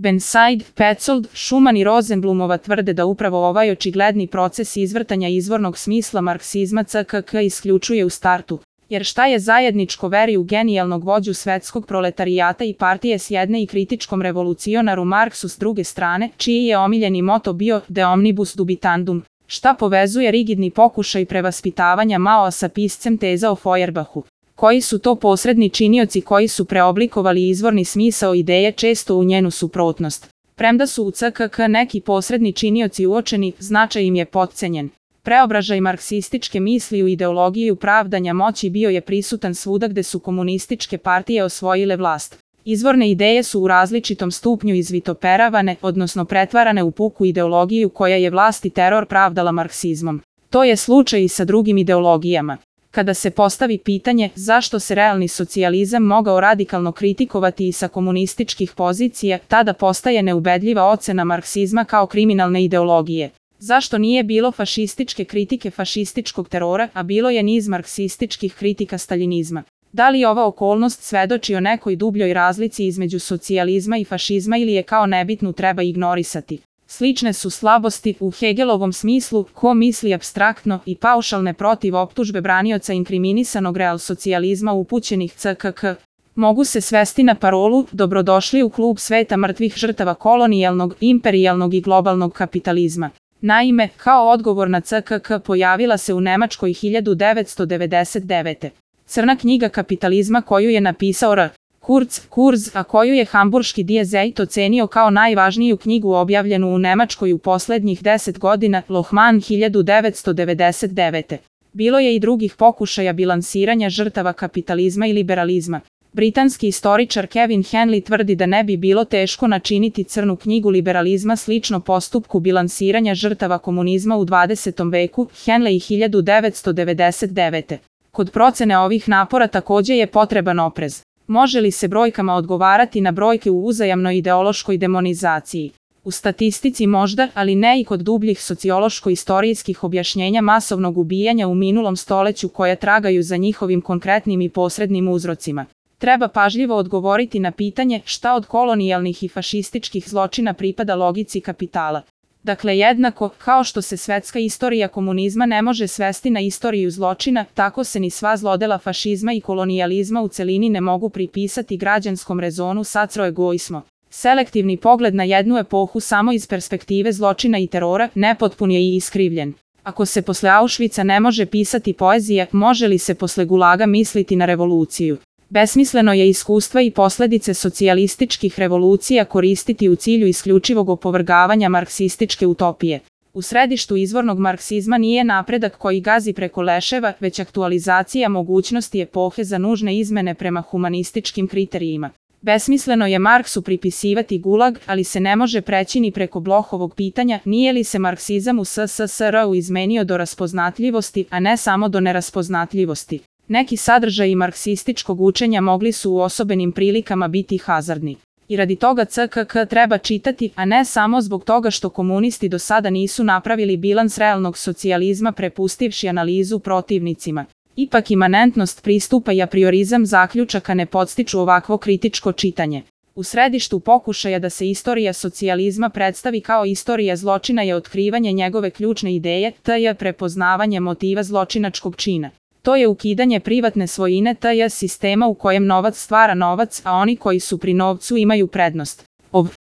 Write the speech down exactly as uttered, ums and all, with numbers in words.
Burnside, Petzold, Schumann i Rosenblumova tvrde da upravo ovaj očigledni proces izvrtanja izvornog smisla marksizma C K K isključuje u startu. Jer šta je zajedničko veri u genijalnog vođu svetskog proletarijata i partije s jedne i kritičkom revolucionaru Marksu s druge strane, čiji je omiljeni moto bio De omnibus dubitandum? Šta povezuje rigidni pokušaj prevaspitavanja Maoa sa piscem teza o Feuerbachu? Koji su to posredni činioci koji su preoblikovali izvorni smisao ideje često u njenu suprotnost? Premda su u C K K neki posredni činioci uočeni, značaj im je potcenjen. Preobražaj marksističke misli u ideologiju pravdanja moći bio je prisutan svuda gde su komunističke partije osvojile vlast. Izvorne ideje su u različitom stupnju izvitoperavane, odnosno pretvarane u puku ideologiju koja je vlast i teror pravdala marksizmom. To je slučaj i sa drugim ideologijama. Kada se postavi pitanje zašto se realni socijalizam mogao radikalno kritikovati i sa komunističkih pozicija, tada postaje neubedljiva ocena marksizma kao kriminalne ideologije. Zašto nije bilo fašističke kritike fašističkog terora, a bilo je niz marksističkih kritika staljinizma? Da li ova okolnost svedoči o nekoj dubljoj razlici između socijalizma i fašizma ili je kao nebitnu treba ignorisati? Slične su slabosti u Hegelovom smislu, ko misli apstraktno i paušalne protiv optužbe branioca inkriminisanog realsocijalizma upućenih C K K. Mogu se svesti na parolu dobrodošli u klub sveta mrtvih žrtava kolonijalnog, imperijalnog i globalnog kapitalizma. Naime, kao odgovor na C K K pojavila se u Nemačkoj hiljadu devetsto devedeset devete. Crna knjiga kapitalizma koju je napisao R. Kurz, Kurz, a koju je hamburški Die Zeit ocenio kao najvažniju knjigu objavljenu u Nemačkoj u poslednjih deset godina, Lohmann hiljadu devetsto devedeset devete. Bilo je i drugih pokušaja bilansiranja žrtava kapitalizma i liberalizma. Britanski istoričar Kevin Henley tvrdi da ne bi bilo teško načiniti crnu knjigu liberalizma slično postupku bilansiranja žrtava komunizma u dvadesetom veku, Henley hiljadu devetsto devedeset devete. Kod procene ovih napora takođe je potreban oprez. Može li se brojkama odgovarati na brojke u uzajamnoj ideološkoj demonizaciji? U statistici možda, ali ne i kod dubljih sociološko-istorijskih objašnjenja masovnog ubijanja u minulom stoleću koja tragaju za njihovim konkretnim i posrednim uzrocima. Treba pažljivo odgovoriti na pitanje šta od kolonijalnih i fašističkih zločina pripada logici kapitala. Dakle, jednako, kao što se svetska istorija komunizma ne može svesti na istoriju zločina, tako se ni sva zlodela fašizma i kolonijalizma u celini ne mogu pripisati građanskom rezonu sacroegoismo. Selektivni pogled na jednu epohu samo iz perspektive zločina i terora nepotpun je i iskrivljen. Ako se posle Auschwitza ne može pisati poezija, može li se posle Gulaga misliti na revoluciju? Besmisleno je iskustva i posledice socijalističkih revolucija koristiti u cilju isključivog opovrgavanja marksističke utopije. U središtu izvornog marksizma nije napredak koji gazi preko leševa, već aktualizacija mogućnosti epohe za nužne izmene prema humanističkim kriterijima. Besmisleno je Marksu pripisivati Gulag, ali se ne može preći ni preko Blochovog pitanja nije li se marksizam u S S S R-u izmenio do raspoznatljivosti, a ne samo do neraspoznatljivosti. Neki sadržaji marksističkog učenja mogli su u osobenim prilikama biti hazardni. I radi toga C K K treba čitati, a ne samo zbog toga što komunisti do sada nisu napravili bilans realnog socijalizma prepustivši analizu protivnicima. Ipak imanentnost pristupa i apriorizam zaključaka ne podstiču ovakvo kritičko čitanje. U središtu pokušaja da se istorija socijalizma predstavi kao istorija zločina je otkrivanje njegove ključne ideje, to je prepoznavanje motiva zločinačkog čina. To je ukidanje privatne svojine, to je sistema u kojem novac stvara novac, a oni koji su pri novcu imaju prednost. Ov